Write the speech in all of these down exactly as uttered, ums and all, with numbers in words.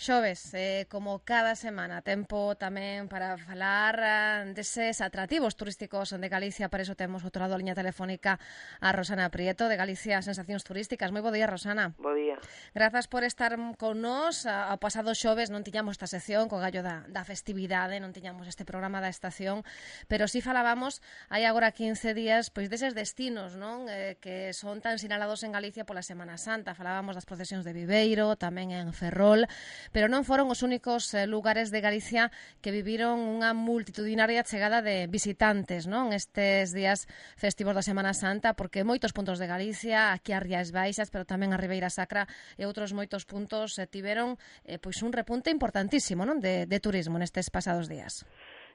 Xoves, eh, como cada semana, tempo tamén para falar uh, deses atractivos turísticos de Galicia. Para iso temos outro lado a liña telefónica a Rosana Prieto, de Galicia Sensacións Turísticas. Moi bo día, Rosana. Bo día. Grazas por estar con nós. Ao pasado xoves non tiñamos esta sección co gallo da, da festividade, non tiñamos este programa da estación, pero si falábamos hai agora quince días pois deses destinos, non, eh, que son tan sinalados en Galicia pola Semana Santa. Falábamos das procesións de Viveiro, tamén en Ferrol, pero non foron os únicos eh, lugares de Galicia que viviron unha multitudinaria chegada de visitantes, non, estes días festivos da Semana Santa, porque moitos puntos de Galicia, aquí a Rías Baixas, pero tamén a Ribeira Sacra e outros moitos puntos eh, tiveron eh, pois un repunte importantísimo, non, de, de turismo nestes pasados días.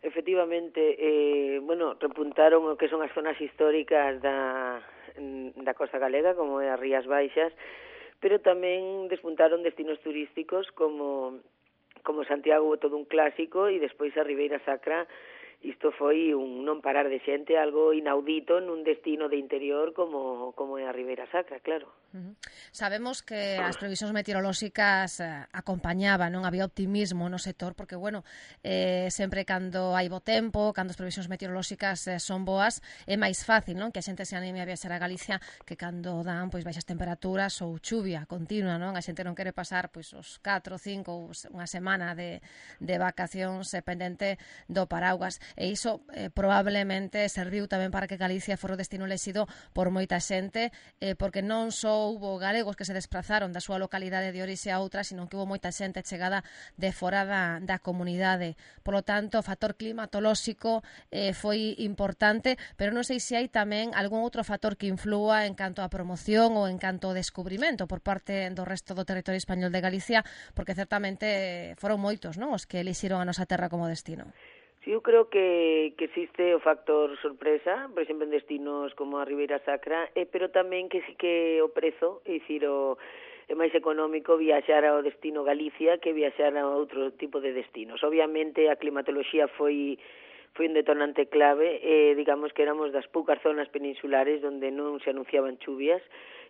Efectivamente, eh, bueno, repuntaron o que son as zonas históricas da, da costa galega, como é as Rías Baixas, pero tamén despuntaron destinos turísticos como, como Santiago, todo un clásico, e despois a Ribeira Sacra. Isto foi un non parar de xente, algo inaudito nun destino de interior como, como é a Ribeira Sacra, claro. Uh-huh. Sabemos que as previsións meteorolóxicas eh, acompañaban, non había optimismo no sector, porque, bueno, eh, sempre cando hai bo tempo, cando as previsións meteorolóxicas eh, son boas, é máis fácil, non, que a xente se anime a viaxar a Galicia que cando dan pois baixas temperaturas ou chuvia continua, non? A xente non quere pasar pois os catro, cinco, unha semana de, de vacacións eh, pendente do paraugas. E iso eh, probablemente serviu tamén para que Galicia fora o destino elexido por moita xente, eh, porque non só houbo galegos que se desplazaron da súa localidade de orixe a outra, sino que houbo moita xente chegada de fora da, da comunidade. Por lo tanto, o factor climatolóxico eh, foi importante, pero non sei se hai tamén algún outro factor que inflúa en canto a promoción ou en canto ao descubrimento por parte do resto do territorio español de Galicia, porque certamente foron moitos, non, os que elixiron a nosa terra como destino. Sí, eu creo que, que existe o factor sorpresa, por exemplo, en destinos como a Ribeira Sacra, eh, pero tamén que sí que o prezo, é dicir, o, é máis económico viaxar ao destino Galicia que viaxar a outro tipo de destinos. Obviamente a climatoloxía foi foi un detonante clave, eh, digamos que éramos das poucas zonas peninsulares onde non se anunciaban chuvias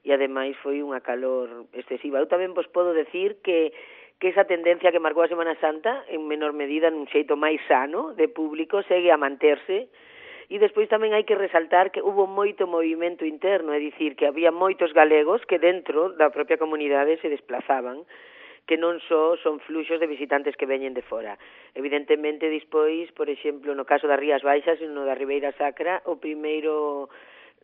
e ademais foi unha calor excesiva. Eu tamén vos podo decir que que esa tendencia que marcou a Semana Santa, en menor medida, nun xeito máis sano de público, segue a manterse. E despois tamén hai que resaltar que hubo moito movimento interno, é dicir, que había moitos galegos que dentro da propia comunidade se desplazaban, que non só son fluxos de visitantes que veñen de fora. Evidentemente, despois, por exemplo, no caso das Rías Baixas e no da Ribeira Sacra, o primeiro,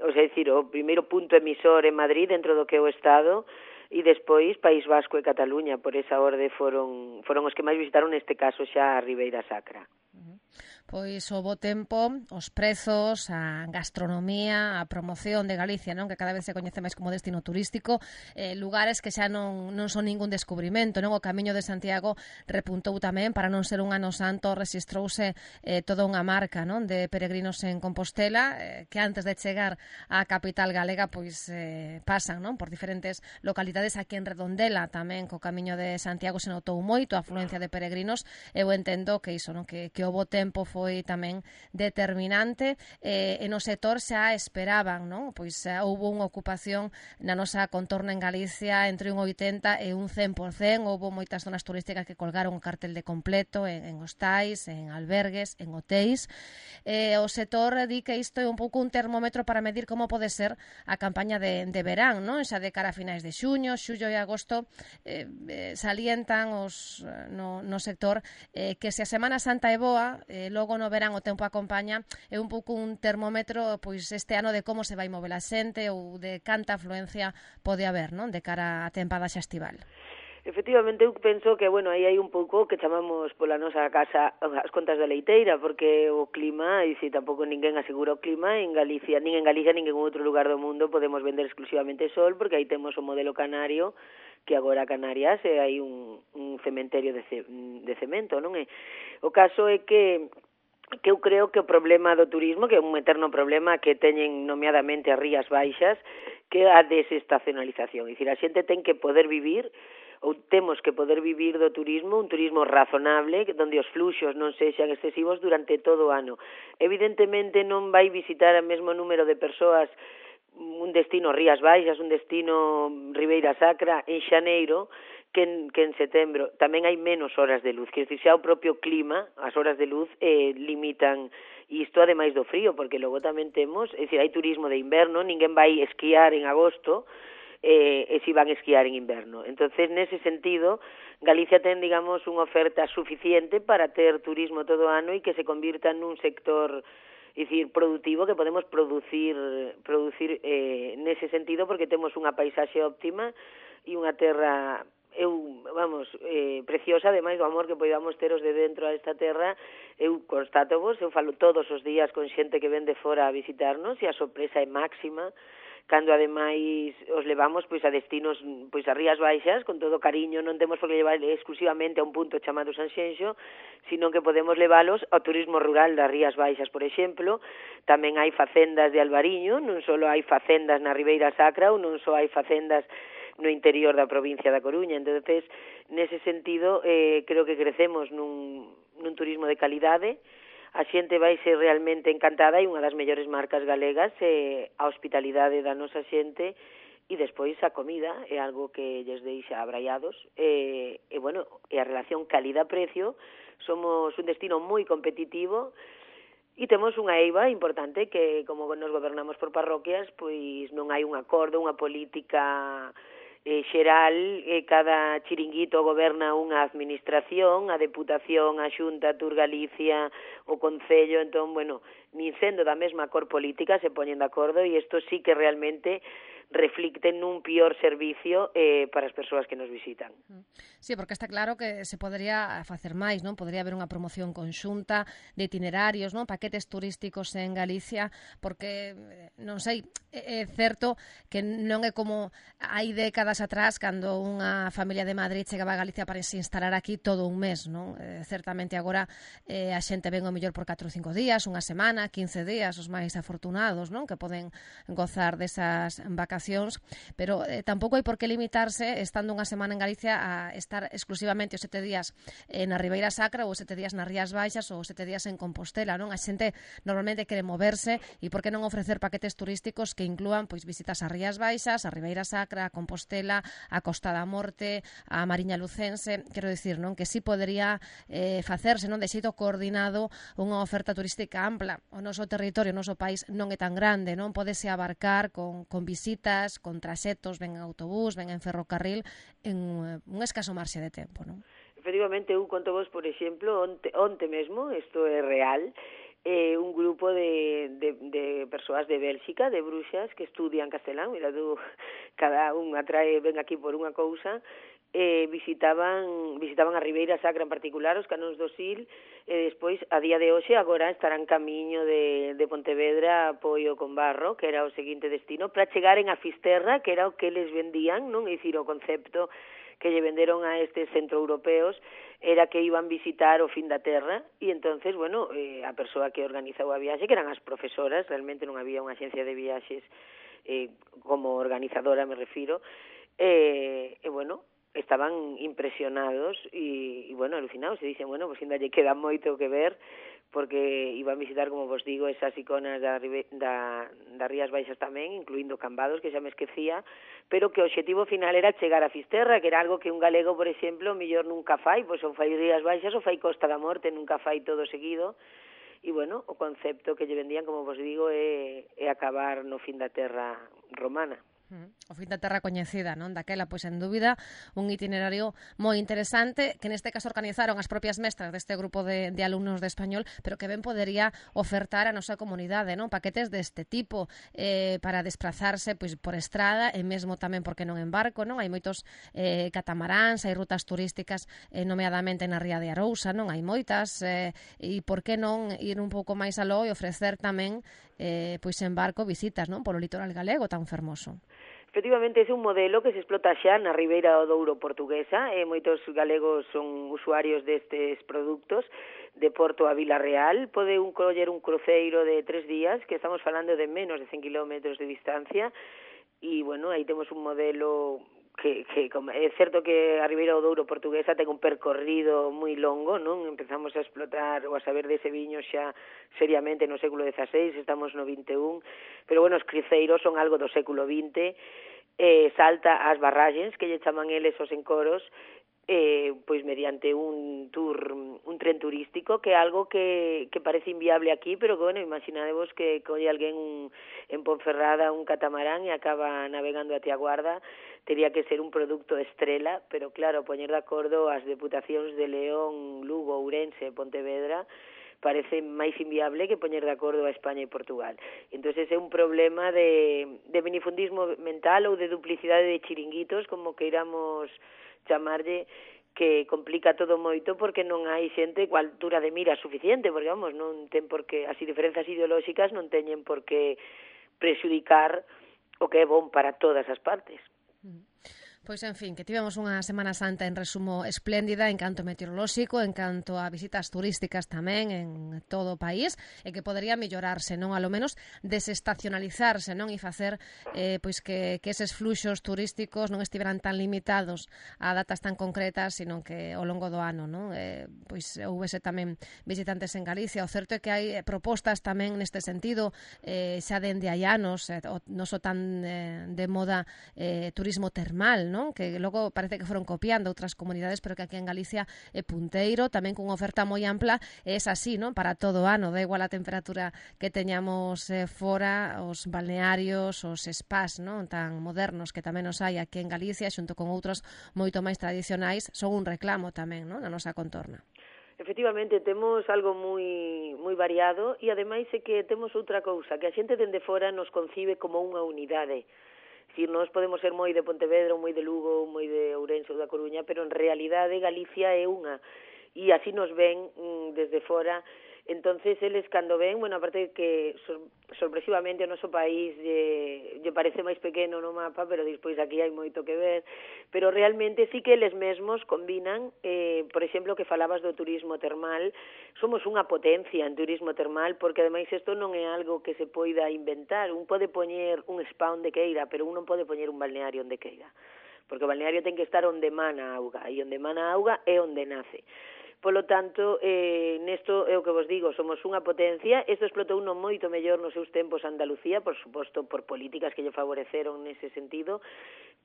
o sea, decir, o primeiro punto emisor en Madrid, dentro do que é o Estado, e despois País Vasco e Cataluña, por esa orde foron foron os que máis visitaron, neste caso xa a Ribeira Sacra. Uh-huh. Pois o bo tempo, os prezos, a gastronomía, a promoción de Galicia, non, que cada vez se coñece máis como destino turístico, eh, lugares que xa non, non son ningún descubrimento, non? O Camiño de Santiago repuntou tamén, para non ser un ano santo, rexistrouse eh, toda unha marca, non, de peregrinos en Compostela, eh, que antes de chegar á capital galega, pois eh, pasan, non, por diferentes localidades. Aquí en Redondela tamén co Camiño de Santiago se notou moito a afluencia de peregrinos. Eu entendo que iso, non, que, que o bo tempo foi foi tamén determinante, eh, e no sector xa esperaban, non? Pois xa houve unha ocupación na nosa contorna en Galicia entre un oitenta e un cen por cen, houve moitas zonas turísticas que colgaron o cartel de completo en, en hostais, en albergues, en hotéis. Eh, o sector di que isto é un pouco un termómetro para medir como pode ser a campaña de, de verán, non? Xa de cara a finais de xuño, xullo e agosto, eh, eh, salientan os, no, no sector eh, que se a Semana Santa é boa, eh, logo no verán o tempo acompaña, é un pouco un termómetro pois este ano de como se vai mover a xente ou de canta afluencia pode haber, non, de cara á tempada xa estival. Efectivamente, eu penso que, bueno, aí hai un pouco que chamamos pola nosa casa as contas da leiteira, porque o clima, e se tampouco ninguén asegura o clima, en Galicia, nin en Galicia, nin en outro lugar do mundo podemos vender exclusivamente sol, porque aí temos o modelo canario, que agora Canarias é aí un, un cementerio de, ce, de cemento, non é? O caso é que que eu creo que o problema do turismo, que é un eterno problema que teñen nomeadamente as Rías Baixas, que é a desestacionalización. É dicir, a xente ten que poder vivir, ou temos que poder vivir do turismo, un turismo razonable, onde os fluxos non sexan excesivos durante todo o ano. Evidentemente non vai visitar o mesmo número de persoas un destino Rías Baixas, un destino Ribeira Sacra en xaneiro, que en, que en setembro. Tamén hai menos horas de luz, que xa o propio clima, as horas de luz eh, limitan isto ademais do frío, porque logo tamén temos, é dicir, hai turismo de inverno, ninguén vai esquiar en agosto, eh, e si van esquiar en inverno. Entonces, nese sentido, Galicia ten, digamos, unha oferta suficiente para ter turismo todo o ano e que se convirta nun sector, é dicir, productivo, que podemos producir producir eh, nese sentido, porque temos unha paisaxe óptima e unha terra eu, vamos, eh, preciosa, ademais do amor que podamos ter os de dentro a esta terra. Eu constato vos, eu falo todos os días con xente que ven de fora a visitarnos e a sorpresa é máxima cando ademais os levamos pois a destinos, pois a Rías Baixas, con todo cariño, non temos por que levar exclusivamente a un punto chamado Sanxenxo, sino que podemos leválos ao turismo rural das Rías Baixas, por exemplo. Tamén hai facendas de Albariño, non só hai facendas na Ribeira Sacra, ou non só hai facendas no interior da provincia da Coruña. Entonces, nese sentido, eh, creo que crecemos nun, nun turismo de calidade. A xente vai ser realmente encantada e unha das mellores marcas galegas é a hospitalidade da nosa xente, e despois a comida é algo que lles deixa abraiados, e, e bueno, e a relación calidad-precio. Somos un destino moi competitivo e temos unha eiva importante que, como nos gobernamos por parroquias, pois non hai un acordo, unha política eh, xeral, eh, cada chiringuito goberna unha administración, a Deputación, a Xunta, a Tour Galicia, o Concello. Entón, bueno, nin sendo da mesma cor política se poñen de acordo, e isto sí que realmente reflicte nun pior servicio eh, para as persoas que nos visitan. Sí, porque está claro que se podería facer máis, non? Podería haber unha promoción conxunta de itinerarios, non? Paquetes turísticos en Galicia, porque, non sei, é certo que non é como hai décadas atrás, cando unha familia de Madrid chegaba a Galicia para se instalar aquí todo un mes, non? Eh, certamente agora eh, a xente ven o mellor por catro ou cinco días, unha semana, quince días, os máis afortunados, non? Que poden gozar desas vacacións, pero eh, tampouco hai por que limitarse, estando unha semana en Galicia, a estar exclusivamente os sete días eh, na Ribeira Sacra, ou sete días nas Rías Baixas, ou sete días en Compostela, non? A xente normalmente quere moverse, e por que non ofrecer paquetes turísticos que inclúan pois visitas ás Rías Baixas, a Ribeira Sacra, a Compostela, a Costa da Morte, a Mariña Lucense. Quero dicir, non? Que si podería eh, facerse, non? De xeito coordinado unha oferta turística ampla. O noso territorio, o noso país non é tan grande, non? Pódese abarcar con, con visitas, con traxetos, ven en autobús, ven en ferrocarril, en un escaso marxe de tempo, non? Efectivamente, eu conto vos, por exemplo, onte, onte mesmo, isto é real, eh, un grupo de, de, de persoas de Bélxica, de bruxas, que estudian castelán, mira tú, cada un atrae, ven aquí por unha cousa, eh, visitaban visitaban a Ribeira Sacra en particular, os canóns do Sil, e despois, a día de hoxe, agora estarán camiño de, de Pontevedra a Poio con Barro, que era o seguinte destino, para chegaren a Fisterra, que era o que les vendían, non? É dicir, o concepto que lle venderon a estes centroeuropeos era que iban visitar o fin da terra, e entonces, bueno, eh, a persoa que organizou a viaxe, que eran as profesoras, realmente non había unha agencia de viaxes eh, como organizadora, me refiro, e, eh, eh, bueno, estaban impresionados e, e bueno, alucinados, e dicen, bueno, pues ainda lle queda moito que ver, porque iban a visitar, como vos digo, esas iconas da, da, da Rías Baixas tamén, incluindo Cambados, que xa me esquecía, pero que o obxectivo final era chegar a Fisterra, que era algo que un galego, por exemplo, mellor nunca fai, pois ou fai Rías Baixas ou fai Costa da Morte, nunca fai todo seguido. E, bueno, o concepto que lle vendían, como vos digo, é, é acabar no fin da terra romana. O fin da terra coñecida, non? Daquela, pois, en dúbida, un itinerario moi interesante, que neste caso organizaron as propias mestras deste grupo de, de alumnos de español, pero que ben podería ofertar a nosa comunidade, non? Paquetes deste tipo eh, para desplazarse pois, por estrada, e mesmo tamén, porque non en barco, non? Hai moitos eh, catamaráns, hai rutas turísticas, eh, nomeadamente na Ría de Arousa, non? Hai moitas, eh, e por que non ir un pouco máis aló e ofrecer tamén eh, pois en barco visitas, non? Polo litoral galego tan fermoso. Efectivamente, ese é un modelo que se explota xa na Ribeira do Douro portuguesa, e moitos galegos son usuarios destes produtos. De Porto a Vila Real pode un coller un cruceiro de tres días, que estamos falando de menos de cen kilómetros de distancia, e, bueno, aí temos un modelo que, que é certo que a Ribeira do Douro portuguesa ten un percorrido moi longo, non? Empezamos a explotar ou a saber dese viño xa seriamente no século dezaseis, estamos no vinte e un, pero, bueno, os cruceiros son algo do século vinte, eh, salta ás barraxes, que lle chaman eles os encoros, eh, pois mediante un tour, un tren turístico, que é algo que, que parece inviable aquí, pero que, bueno, imaginadevos que colle alguén un, en Ponferrada un catamarán e acaba navegando até a Guarda, tería que ser un produto estrela, pero claro, poñer de acordo as deputacións de León, Lugo, Ourense e Pontevedra, parece máis inviable que poñer de acordo a España e Portugal. Entón, é un problema de, de minifundismo mental ou de duplicidade de chiringuitos, como que iramos chamarlle, que complica todo moito porque non hai xente coa altura de mira suficiente, porque, vamos, non ten por que, as diferenzas ideolóxicas non teñen por que prexudicar o que é bon para todas as partes. Pois, en fin, que tivemos unha Semana Santa en resumo espléndida en canto meteorolóxico, en canto a visitas turísticas tamén en todo o país, e que podería mellorarse, non, a lo menos desestacionalizarse, non, e facer eh, pois que, que eses fluxos turísticos non estiveran tan limitados a datas tan concretas, sino que ao longo do ano, non, eh, pois houvese tamén visitantes en Galicia. O certo é que hai propostas tamén neste sentido, eh, xa dende hai anos, eh, non só tan eh, de moda eh, turismo termal, non? Que logo parece que foron copiando outras comunidades, pero que aquí en Galicia é punteiro, tamén cunha oferta moi ampla, e é así, non? Para todo o ano, da igual a temperatura que teñamos eh, fora, os balnearios, os spas, non? Tan modernos que tamén os hai aquí en Galicia, xunto con outros moito máis tradicionais, son un reclamo tamén, non? Na nosa contorna. Efectivamente, temos algo moi moi variado, e ademais é que temos outra cousa, que a xente dende fora nos concibe como unha unidade. Dicir, nós podemos ser moi de Pontevedra, ou moi de Lugo, ou moi de Ourense ou da Coruña, pero en realidade Galicia é unha, e así nos ven mm, desde fora. Entonces, eles cando ven, bueno, aparte que sor sorpresivamente o noso país lle, lle parece máis pequeno no mapa, pero despois aquí hai moito que ver, pero realmente sí que eles mesmos combinan, eh, por exemplo, que falabas do turismo termal, somos unha potencia en turismo termal, porque ademais isto non é algo que se poida inventar, un pode poñer un spa onde queira, pero un non pode poñer un balneario onde queira, porque o balneario ten que estar onde mana a auga, e onde mana a auga é onde nace. Polo tanto, eh, nesto é o que vos digo, somos unha potencia. Isto explotou uno moito mellor nos seus tempos Andalucía, por suposto, por políticas que lle favoreceron nese sentido,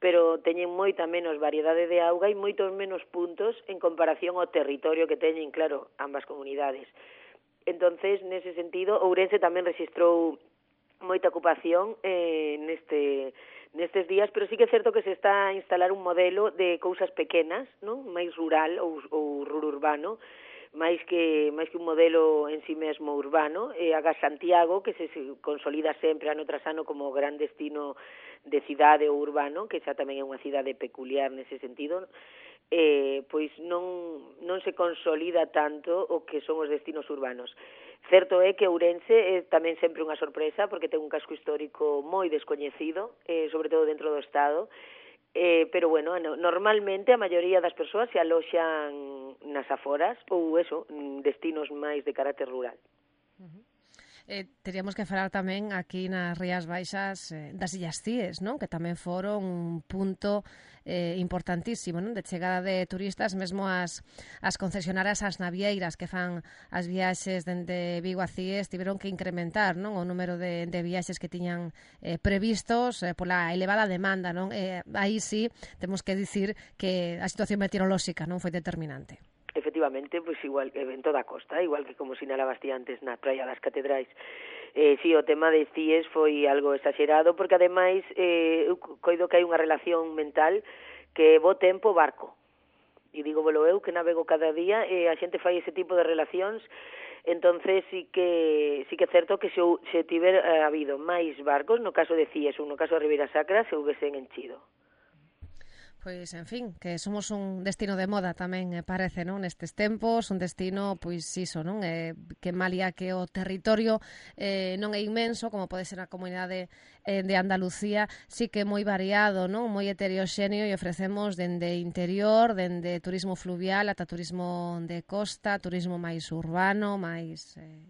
pero teñen moita menos variedade de auga e moitos menos puntos en comparación ao territorio que teñen, claro, ambas comunidades. Entonces, nese sentido, Ourense tamén registrou moita ocupación eh, neste... nestes días, pero sí que é certo que se está a instalar un modelo de cousas pequenas, non? Máis rural ou, ou rururbano, máis que máis que un modelo en sí mesmo urbano. E aga Santiago, que se consolida sempre ano tras ano como gran destino de cidade ou urbano, que xa tamén é unha cidade peculiar nese sentido, eh, pois non, non se consolida tanto o que son os destinos urbanos. Certo é que Ourense é tamén sempre unha sorpresa, porque ten un casco histórico moi descoñecido, eh, sobre todo dentro do Estado, eh, pero, bueno, normalmente a maioría das persoas se aloxan nas aforas ou, eso, destinos máis de carácter rural. Uh-huh. Eh, teríamos que falar tamén aquí nas Rías Baixas eh, das Illas Cíes, non? Que tamén foron un punto eh, importantísimo, non? De chegada de turistas, mesmo as, as concesionarias, as navieiras que fan as viaxes dende Vigo a Cíes tiveron que incrementar, non? O número de, de viaxes que tiñan eh, previstos eh, pola elevada demanda, non? Eh, aí sí temos que dicir que a situación meteorolóxica non foi determinante. Efectivamente, pois igual que en toda a costa, igual que como sinalabas ti antes na praia das Catedrais. Eh, si, sí, o tema de Cíes foi algo exagerado, porque ademais eh, eu coido que hai unha relación mental que bo tempo barco. E digo, volo eu, que navego cada día, e a xente fai ese tipo de relacións, entonces sí que sí que é certo que se, se tiver eh, habido máis barcos, no caso de Cíes ou no caso de Ribeira Sacra, se houvesen enchido. Pois, en fin, que somos un destino de moda tamén, eh, parece, non? Nestes tempos, un destino, pois, iso, non? Eh, que malia que o territorio eh, non é inmenso, como pode ser a comunidade eh, de Andalucía, sí que é moi variado, non? Moi heteroxéneo, e ofrecemos dende interior, dende turismo fluvial ata turismo de costa, turismo máis urbano, máis... Eh...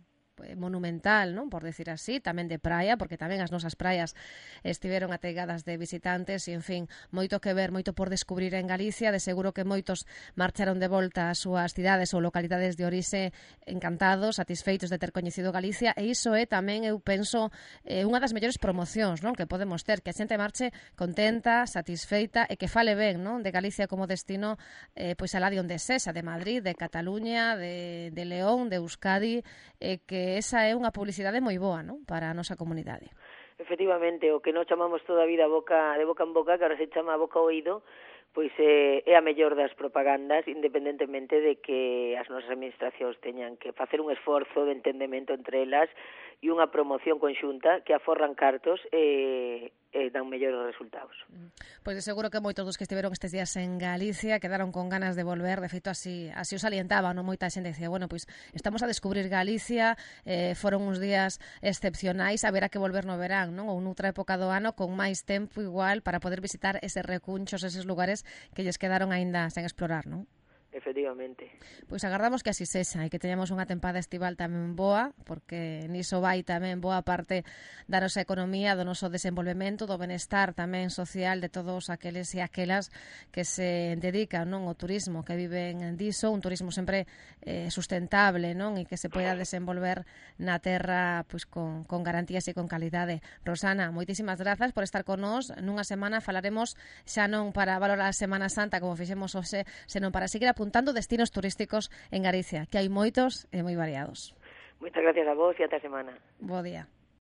monumental, non? Por decir así, tamén de praia, porque tamén as nosas praias estiveron ateigadas de visitantes e, en fin, moito que ver, moito por descubrir en Galicia. De seguro que moitos marcharon de volta ás súas cidades ou localidades de orixe encantados, satisfeitos de ter coñecido Galicia, e iso é tamén, eu penso, eh, unha das mellores promocións, non? Que podemos ter, que a xente marche contenta, satisfeita e que fale ben, non? De Galicia como destino, eh, pois alá de onde sexa, de Madrid, de Cataluña, de, de León, de Euskadi, e eh, que esa é unha publicidade moi boa, non? Para a nosa comunidade. Efectivamente, o que non chamamos toda a vida boca de boca en boca, que ahora se chama boca ao oído, pois é, é a mellor das propagandas, independentemente de que as nosas administracións teñan que facer un esforzo de entendemento entre elas e unha promoción conxunta que aforran cartos e, e dan mellores resultados. Pois de seguro que moitos dos que estiveron estes días en Galicia quedaron con ganas de volver. De feito, así, así os alientaba, non? Moita xente dicía, bueno, pois estamos a descubrir Galicia, eh, foron uns días excepcionais, haberá que volver no verán, non? Ou noutra época do ano con máis tempo igual para poder visitar eses recunchos, eses lugares que lles quedaron aínda sen explorar, non? Efectivamente. Pois agardamos que así sexa e que teñamos unha tempada estival tamén boa, porque niso vai tamén boa parte da nosa economía, do noso desenvolvemento, do benestar tamén social de todos aqueles e aquelas que se dedican, non, ao turismo, que viven diso, un turismo sempre eh, sustentable, non, e que se poida desenvolver na terra pois con, con garantías e con calidade. Rosana, moitísimas grazas por estar con nós. Nunha semana falaremos xa non para valorar a Semana Santa como fixemos hoxe, senón para seguir apuntando destinos turísticos en Galicia, que hai moitos e moi variados. Moitas gracias a vos e ata a semana. Bo día.